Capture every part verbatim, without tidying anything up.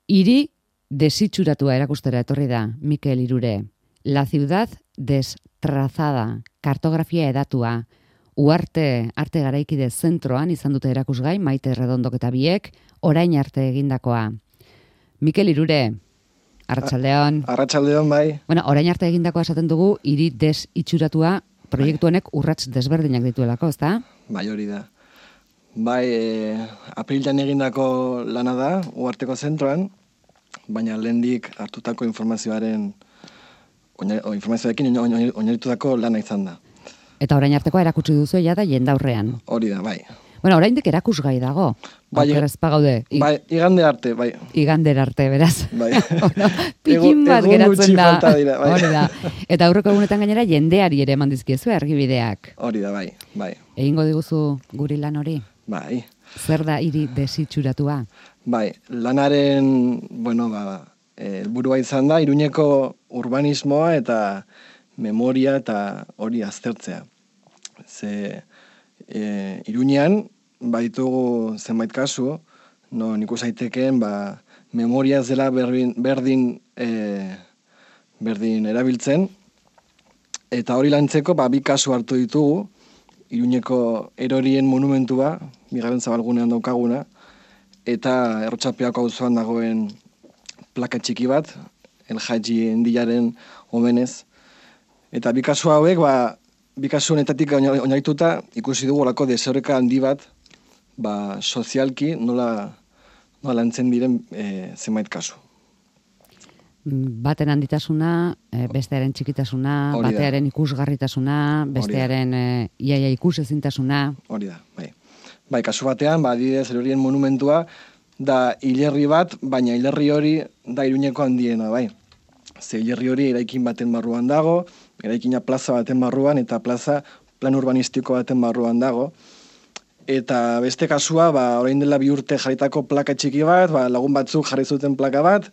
Hiri desitxuratua erakustera etorri da, Mikel Irure. La ciudad destrazada, kartografia edatua, Uarte arte garaikide zentroan izan dute erakusgai, Maite Redondok eta biek, orain arte egindakoa. Mikel Irure, arratsaldeon. Arratsaldeon, bai. Bueno, orain arte egindakoa esaten dugu, hiri desitxuratua proiektu honek urrats desberdinak dituelako, ezta? Bai, hori da. Bai, e, apirilan egindako lana da, Uarteko zentroan, baina lehendik hartutako informazioaren, o informazioarekin oinarritutako lana izan da. Eta orain artekoa erakutsi duzu ja da jendaurrean. Hori da, bai. Bueno, oraindik erakusgai dago. Bai, ez pagaude. I, bai, igande arte, bai. Igander arte, beraz. Bai. Bueno, pikin bat egun geratzen gutxi da. falta dira, bai. Hori da. Eta aurreko egunetan gainera jendeari ere eman dizkiezu argibideak. Hori da, bai, bai. Egingo diguzu guri lan hori? Bai. Zer da hiri desitxuratua? Bai, lanaren, bueno, ba, helburua izan da, Iruñeko urbanismoa eta memoria eta hori aztertzea. Ze e, Iruñean baditugu zenbait kasu, no ikus aitekeen ba, memoria ez dela berdin, berdin, e, berdin erabiltzen, eta hori lantzeko ba, bi kasu hartu ditugu, Iruñeko erorien monumentua, bigarren zabalgunean daukaguna, eta Errotxapeako auzoan dagoen plaka txiki bat, El Haji Endilaren omenez. Eta bi kasu hauek, ba, bi kasu honetatik oinarrituta ikusi dugu olako desoreka handi bat, ba, sozialki nola, nola lantzen diren e, zenbait kasu. Baten handitasuna, bestearen txikitasuna, Hori da. batearen ikusgarritasuna, bestearen e, iaia ikusezintasuna. Hori da, bai. Bai, kasu batean, ba, adibidez, erorien monumentua da hilerri bat, baina hilerri hori da Iruñeko handiena, bai. Ze hilerri hori eraikin baten barruan dago, eraikina plaza baten barruan, eta plaza plan urbanistiko baten barruan dago. Eta beste kasua, ba, orain dela bi urte jarritako plaka txiki bat, ba, lagun batzuk jarri zuten plaka bat,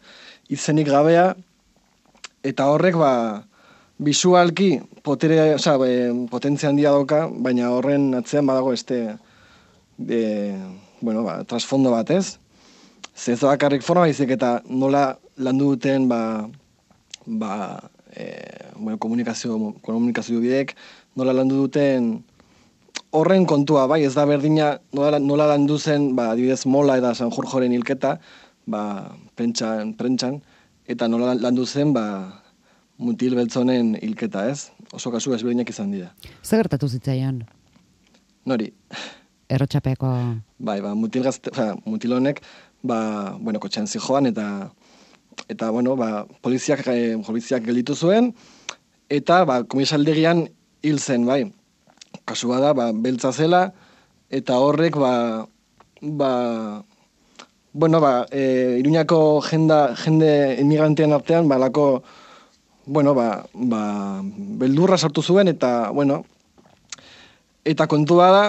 izenik gabea, eta horrek, ba, bisualki potere, oza, e, potentzia handia dauka, baina horren atzean badago este, e, bueno, ba, trasfondo bat, ez? Ez da bakarrik forma baizik eta nola landu duten, ba, ba, e, bueno, komunikazio, komunikazio bideek, nola landu duten horren kontua, bai, ez da berdina nola, nola landu zen, ba, adibidez Mola eta San Jorjoren hilketa, ba, prentxan, prentxan, eta nola landu zen, ba, mutil beltzonen hilketa, ez? Oso kasu ezberdinak izan dira. Zer gertatu zitzaion? Nori? Errotxapeako... Bai, ba, mutil gazte, ba, mutil honek, ba, bueno, kotxean zijoan, eta, eta, bueno, ba, poliziak, eh, poliziak gelditu zuen, eta, ba, komisaldegian hil zen, bai. Kasua da, ba, beltza zela, eta horrek, ba, ba, bueno, ba, e, Iruñako jenda, jende emigrantean artean, ba, lako, bueno, ba, ba, beldurra sartu zuen, eta, bueno, eta kontua da,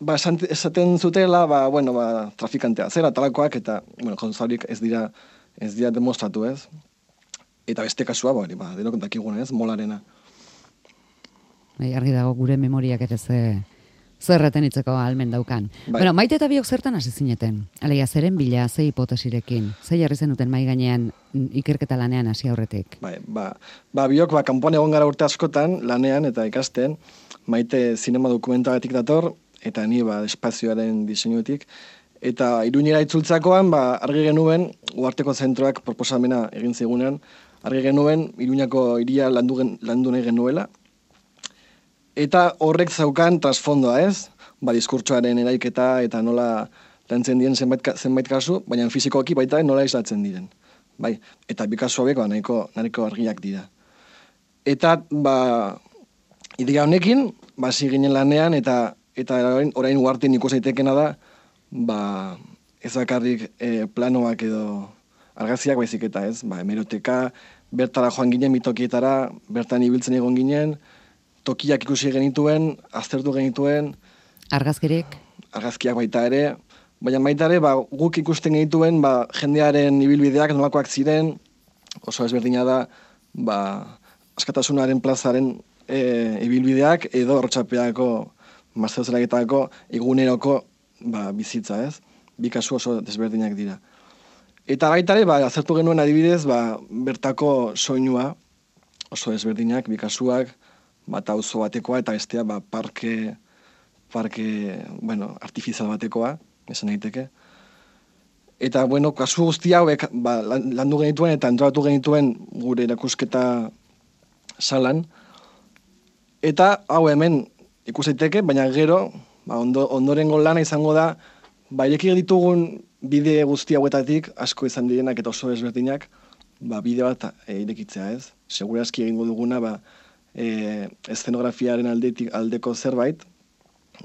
ba, esaten zutela, ba, bueno, ba, trafikantea zera, talakoak, eta, bueno, konzaurik ez dira, ez dira demostratu, ez? Eta beste kasua, ba, ba denok dakiguna, ez, Molarena. Argi dago gure memoriak ere ze zerreten itzeko almen daukan. Bai. Bueno, Maite eta biok zertan hasi zineten? Alegia, zeren bila, ze hipotesirekin? Ze jarri zenuten mai gainean ikerketa lanean hasi aurretik? Bai, ba, ba biok, ba, kanpoan egon gara urte askotan, lanean eta ikasten, Maite zinema dokumentalatik dator, eta ni, ba, espazioaren diseinuetik, eta Iruñera itzultzakoan, ba, argi genuen, Uarteko zentroak proposamena egin zigunean, argi genuen, Iruñako hiria landu, gen, landu nahi genuela, eta horrek zaukan trasfondoa, ez? Ba, diskurtsoaren eraiketa eta nola lantzen diren zenbait, zenbait kasu, baina fizikoki baita nola islatzen diren. Bai, eta bi kasu hauek ba, nahiko, nahiko argiak dira. Eta, ba, idea honekin, ba, ginen lanean, eta eta orain, orain Uarten ikus daitekena da, ba, ez bakarrik e, planoak edo argazkiak baizik eta, ez? Ba, hemeroteka, bertara joan ginen bitokietara, bertan ibiltzen egon ginen, tokiak ikusi genituen, aztertu genituen. Argazkirik? Argazkiak baita ere, baina baita ere, ba, guk ikusten genituen, ba, jendearen ibilbideak nolakoak ziren, oso ezberdina da, ba, Askatasunaren plazaren e, ibilbideak, edo Errotxapeako, Mazteozelagetako, eguneroko ba, bizitza, ez? Bi kasu oso desberdinak dira. Eta baita ere, ba, azertu genuen adibidez, ba, bertako soinua, oso ezberdinak, bi kasuak, bat auzo batekoa eta bestea ba, parke, parke, bueno, artifizial batekoa, esan daiteke. Eta, bueno, kasu guzti hauek ba, landu genituen eta entratu genituen gure erakusketa salan. Eta hau hemen ikus daiteke, baina gero, ba, ondo, ondorengo lana izango da, ba, ireki ditugun bide guzti hauetatik, asko izan direnak eta oso ezberdinak, ba, bide bat e, irekitzea, ez? Segurazki egingo duguna, ba, e, eszenografiaren aldetik, aldeko zerbait,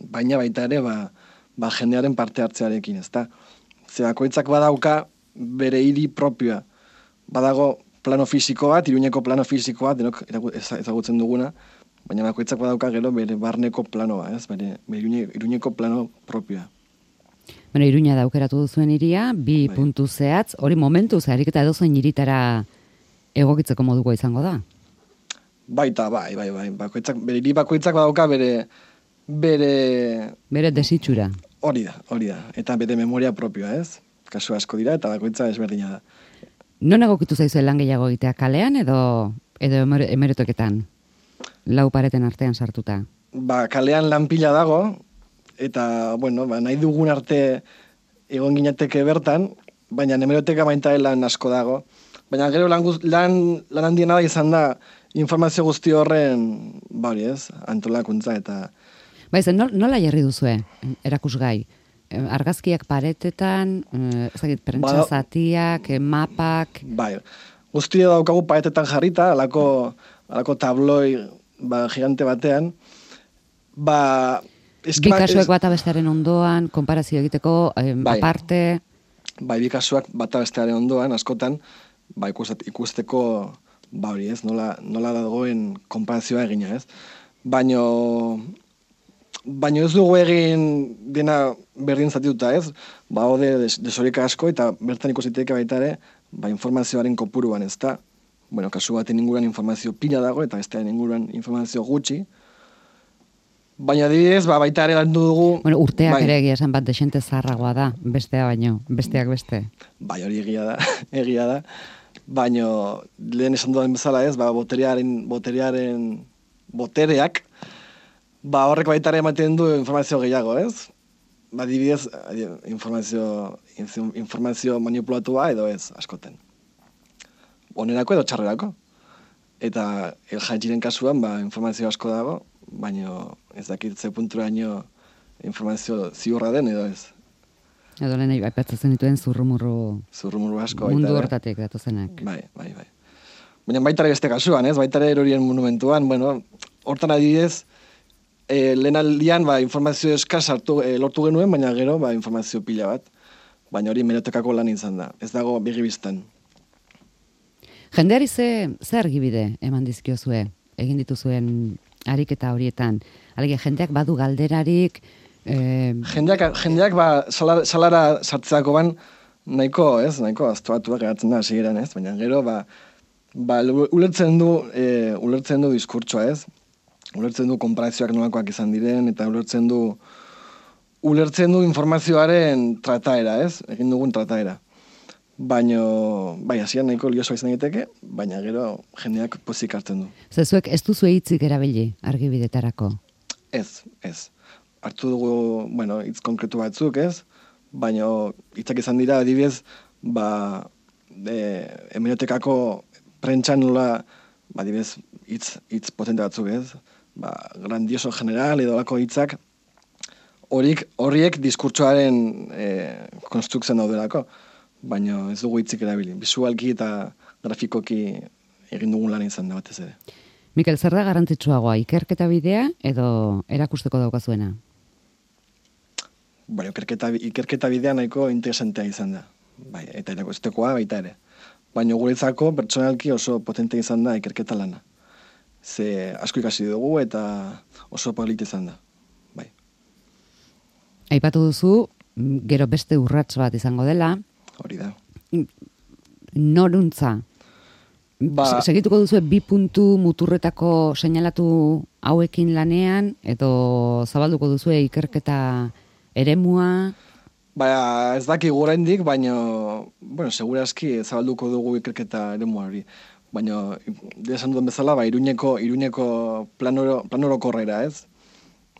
baina baita ere, ba, ba jendearen parte hartzearekin, ezta? Ze bakoitzak badauka bere hiri propioa. Badago plano fisiko bat, Iruñeko plano fisiko bat, denok ezagutzen duguna, baina bakoitzak badauka gero bere barneko planoa, ez? Bere, bere Iruñeko plano propioa. Bueno, Iruña da aukeratu duzuen iria, bi bai. Puntu zehatz, hori momentu zeharik eta edozein iritara egokitzeko moduko izango da? Baita, bai, bai, bai. Bakoitzak, bere hiri bakoitzak badauka bere... Bere... Bere desitxura. Hori da, hori da. Eta bere memoria propioa, ez? Kasu asko dira eta bakoitza ezberdina da. Non egokitu zaizuen lan gehiago egitea, kalean edo edo emeretoketan? Lau pareten artean sartuta. Ba, kalean lan pila dago, eta, bueno, ba, nahi dugun arte egon ginateke bertan, baina hemeroteka baita lan asko dago. Baina gero lan, lan, lan handiena da izan da informazio guzti horren, ba hori ez, antolakuntza eta... Ba izan, nola jarri duzue, erakusgai? Argazkiak paretetan, ezagit, prentsa zatiak, mapak... Bai, guztia daukagu paretetan jarrita, alako, alako tabloi ba, gigante batean. Ba, bi kasuak bata bestearen ondoan, konparazio egiteko, eh, bai. Aparte... Bai, bi kasuak bata bestearen ondoan, askotan, ba, ikustet, ikusteko, ba hori ez, nola, nola dagoen konparazioa egina ez. Baino... Baina ez dugu egin dena berdin zatituta, ez? Ba, hode desoreka asko eta bertan ikusiteke baita ere, ba, informazioaren kopuruan, ez da? Bueno, kasu baten inguruan informazio pila dago eta bestearen inguruan informazio gutxi. Baina adibidez, ba, baita ere landu dugu... Bueno, urteak bai. Ere egia esan bat desente zaharragoa da, bestea baino, besteak beste. Bai, hori egia da, egia da. Baina lehen esan dudan bezala ez, ba, boterearen, boterearen, botereak, ba, horrek baita ere ematen du informazio gehiago, ez? Ba, adibidez, informazio, informazio manipulatua edo ez, askoten. Onerako edo txarrerako. Eta el jantziren kasuan, ba, informazio asko dago, baina ez dakit ze punturaino informazio ziurra den edo ez. Edo lehen aipatzen dituen zurrumurru... Zurrumurru asko. Mundu hortatik datozenak. Bai, bai, bai. Baina baita ere beste kasuan, ez? Baita ere erorien monumentuan, bueno, hortan adibidez, E, lehen aldian ba, informazio eskaz hartu, e, lortu genuen, baina gero ba, informazio pila bat. Baina hori merotekako lan izan da. Ez dago begibiztan. Jendeari ze, ze argibide eman dizkiozue, egin dituzuen ariketa horietan? Alegia, jendeak badu galderarik... E... Jendeak, jendeak ba, salara, salara sartzeako ban nahiko, ez? Nahiko aztuatuak geratzen da, hasieran, ez? Baina gero, ba, ba, ulertzen du, e, ulertzen du diskurtsoa, ez? Ulertzen du konparazioak nolakoak izan diren, eta ulertzen du ulertzen du informazioaren trataera, ez? Egin dugun trataera. Baina, bai, hasian nahiko liosoa izan egiteke, baina gero jendeak pozik hartzen du. Zezuek ez duzu hitzik erabili argibidetarako? Ez, ez. Hartu dugu, bueno, hitz konkretu batzuk, ez? Baina hitzak izan dira, adibidez, ba, e, hemerotekako prentsan nola, ba, adibidez, hitz, hitz potente batzuk, ez? Ba, grandioso general edo lako hitzak horiek horiek diskurtsoaren e, konstruktzen daudelako, baina ez dugu hitzik erabili. Bisualki eta grafikoki egin dugun lan izan da batez ere. Mikel, zer da garrantzitsuagoa, ikerketa bidea edo erakusteko daukazuena? Bueno, ikerketa, ikerketa bidea nahiko interesantea izan da. Bai, eta erakustekoa baita ere. Baina guretzako pertsonalki oso potente izan da ikerketa lana. Ze asko ikasi dugu eta oso polit izan da. Bai. Aipatu duzu, gero beste urrats bat izango dela. Hori da. Noruntza. Ba, segituko duzu bi puntu muturretako seinalatu hauekin lanean, edo zabalduko duzu ikerketa eremua? Ba, ez daki oraindik, baina, bueno, segurazki zabalduko dugu ikerketa eremu hori. Baina, desan duen bezala, ba, iruñeko, iruñeko planoro, planorokorrera, ez?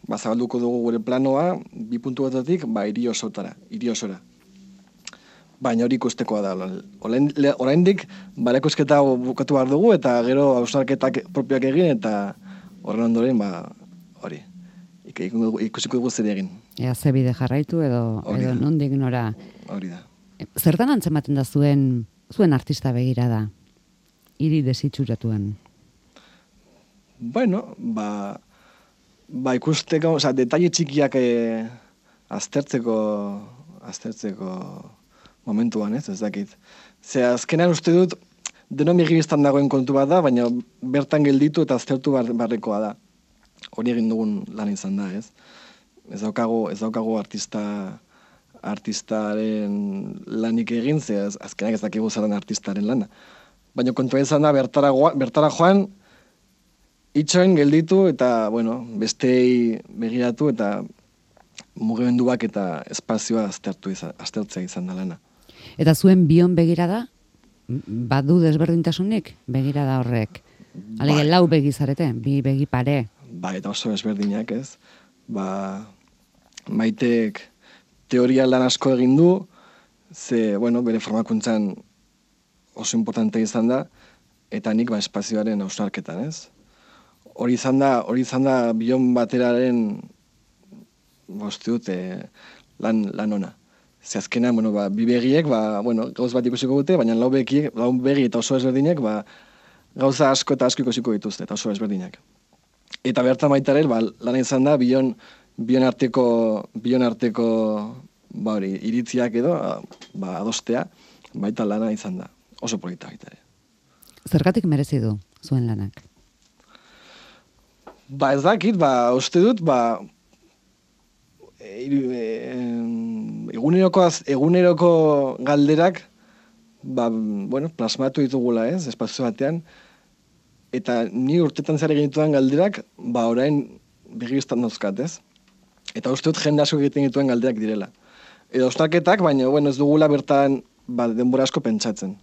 Ba, zabalduko dugu gure planoa, bi puntu batatik, ba, hiri osotara, hiri osora. Baina hori ikustekoa da. Oraindik, ba, ikusketa bukatu behar dugu, eta gero hausnarketak propioak egin, eta horren ondoren, ba, hori. Ikusiko dugu zer egin. Ea, ze bide jarraitu edo, edo nondik nora. Hori da. Zertan antzematen da zuen, zuen artista begira da? Hiri desitxuratuan. Bueno, ba, ba ikusteko, oza, detaile txikiak eh, aztertzeko, aztertzeko momentuan, ez, ez dakit. Ze azkenean uste dut, denon begibiztan dagoen kontu bat da, baina bertan gelditu eta aztertu bar, barrekoa da. Hori egin dugun lan izan da, ez? Ez daukago, ez daukago artista, artistaren lanik egin, ze az, azkenak ez dakigu zaren artistaren lana. Baina kontua izan da, bertara, bertara joan, itxoin gelditu eta, bueno, bestei begiratu eta mugimenduak eta espazioa aztertu izan, aztertzea izan da lana. Eta zuen bion begirada, badu desberdintasunik begirada horrek? Alege, lau begizarete, bi begi pare. Ba, eta oso desberdinak, ez? Ba, Maitek teoria lan asko egin du, ze, bueno, bere formakuntzan oso importante izan da, eta nik ba, espazioaren hausnarketan, ez? Hori izan da, hori izan da bion bateraren boste dut lan, lan ona. Ze azkenean, bueno, ba, bi begiek, ba, bueno, gauz bat ikusiko dute, baina lau begi, lau begi eta oso ezberdinek, ba, gauza asko eta asko ikusiko dituzte, eta oso ezberdinak. Eta bertan baitaren, ba, lan izan da, bion, bion arteko, bion arteko, ba hori, iritziak edo, ba, adostea, baita lana izan da. Oso polita baita ere. Zergatik merezi du zuen lanak? Ba, ez dakit, ba, uste dut, ba, e, e, eguneroko, eguneroko galderak, ba, bueno, plasmatu ditugula, ez, espazio batean, eta ni urtetan zer egin ditudan galderak, ba, orain begibiztan dauzkat, ez? Eta uste dut jende asko egiten dituen galderak direla. Edo ostarketak, baina, bueno, ez dugula bertan, ba, denbora asko pentsatzen.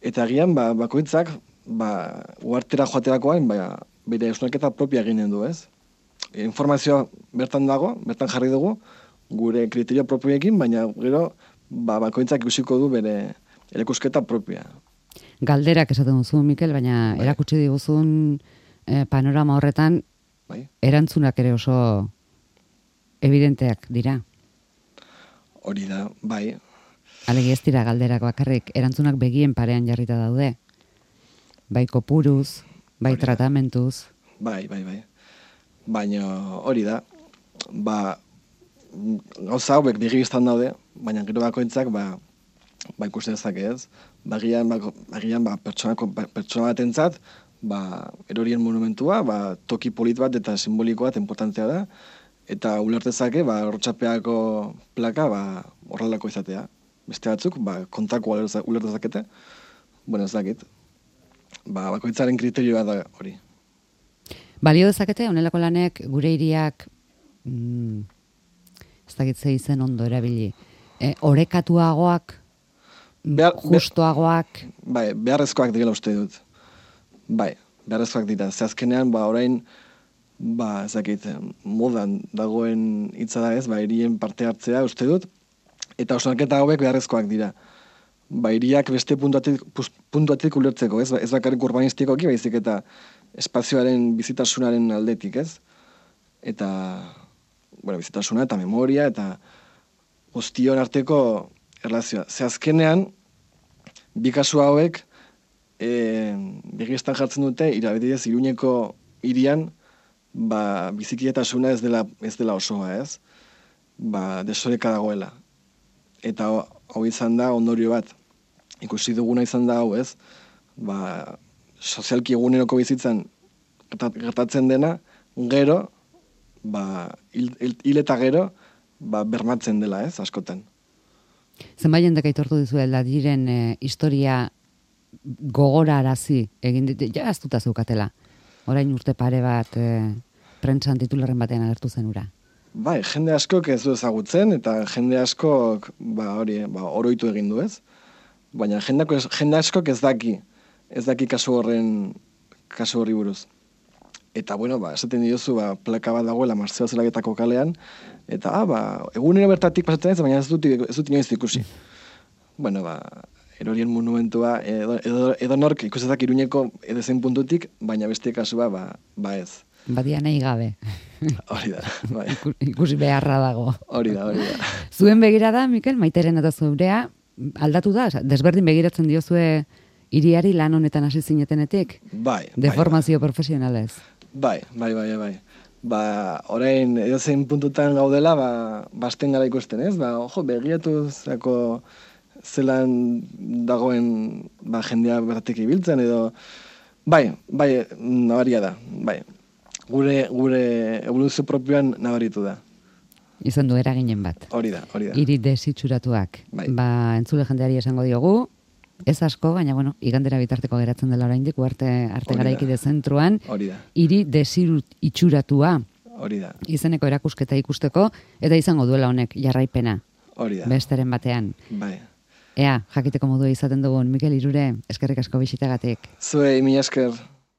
Eta agian, ba, bakoitzak, ba, uartera joaterakoan, ba, bere ostarketa propia eginen du, ez? Informazioa bertan dago, bertan jarri dugu, gure kriterio propioekin, baina gero, ba, bakoitzak ikusiko du bere erakusketa propia. Galderak esaten duzu, Mikel, baina bai. Erakutsi diguzun eh, panorama horretan, bai. Erantzunak ere oso evidenteak dira. Hori da, bai. Alegi ez dira galderak bakarrik, erantzunak begien parean jarrita daude. Bai kopuruz, bai hori tratamentuz. Da. Bai, bai, bai. Baina hori da, ba, gauza hauek begibiztan daude, baina gero bakoitzak, ba, ba ikusten dezake ez, bagian, ba, bagian ba, pertsonako, ba, pertsona batentzat, ba, erorien monumentua, ba, toki polit bat eta simbolikoa bat importantea da, eta ulertezake, ba, Hortxapeako plaka, ba, horrelako izatea. Beste batzuk, ba, kontrako ulertezakete, bueno, ez dakit. Ba, bakoitzaren kriterioa da hori. Balio dezakete, honelako lanek, gure hiriak, mm, ez dakit ze izen ondo erabili, e, orekatuagoak, Behar, justuagoak. Bai, beharrezkoak direla uste dut. Bai, beharrezkoak dira. Ze azkenean, ba, orain, ba, ezakit, modan dagoen hitza da ez, ba, hirien parte hartzea uste dut, eta osnarketa hauek beharrezkoak dira. Ba, hiriak beste puntuatik ulertzeko, ez, ez bakarrik urbanistikoki, baizik eta espazioaren bizitasunaren aldetik, ez? Eta, bueno, bizitasuna eta memoria, eta guztion arteko erlazioa. Ze azkenean, bi kasu hauek e, begiztan jartzen dute, irabetidez, Iruñeko hirian, ba, bizikidetasuna ez dela, ez dela osoa, ez? Ba, desoreka dagoela. Eta hau izan da ondorio bat. Ikusi duguna izan da hau, ez? Ba, sozialki eguneroko bizitzan gertatzen dena, gero, ba, hil, hil eta gero, ba, bermatzen dela, ez, askotan. Zenbait jendek aitortu dizu diren e, historia gogora arazi egin ditu, ja aztuta zeukatela. Orain urte pare bat e, prentsan titularren batean agertu zen ura. bai, jende askok ez du ezagutzen, eta jende askok, ba, hori, ba, oroitu egin du, ez? Baina jende, jende askok ez daki, ez daki kasu horren, kasu horri buruz. Eta, bueno, ba, esaten diozu, ba, plaka bat dagoela Martzeo Zelagetako kalean, eta, ah, ba, egunero bertatik pasatzen ez, baina ez dut, ez dut inoiz ikusi. Bueno, ba, erorien monumentua, edo, edo, edo nork ikusetak Iruñeko edozein puntutik, baina beste kasua, ba, ba ez. Badia nahi gabe. Hori da, bai. Ikusi beharra dago. Hori da, hori da. Zuen begirada, Mikel, Maiteren eta zurea, aldatu da? Desberdin begiratzen diozue hiriari lan honetan hasi zinetenetik? Bai. Deformazio bai, profesionalez? Bai, bai, bai, bai. Ba, orain edozein puntutan gaudela, ba, basten gara ikusten, ez? Ba, ojo, begiratu zako zelan dagoen ba, jendea bertatik ibiltzen, edo... Bai, bai, nabaria da, bai. Gure, gure evoluzio propioan nabaritu da. Izan du eraginen bat. Hori da, hori da. Hiri desitxuratuak. Bai. Ba, entzule jendeari esango diogu, ez asko, baina bueno, igandera bitarteko geratzen dela oraindik, arte, arte garaikide zentruan, hori da. Hiri desitxuratua. Hori da. Izeneko erakusketa ikusteko, eta izango duela honek jarraipena. Hori da. Besteren batean. Bai. Ea, jakiteko modua izaten dugun, Mikel Irure, eskerrik asko bisitagatik. Zuei, mila esker.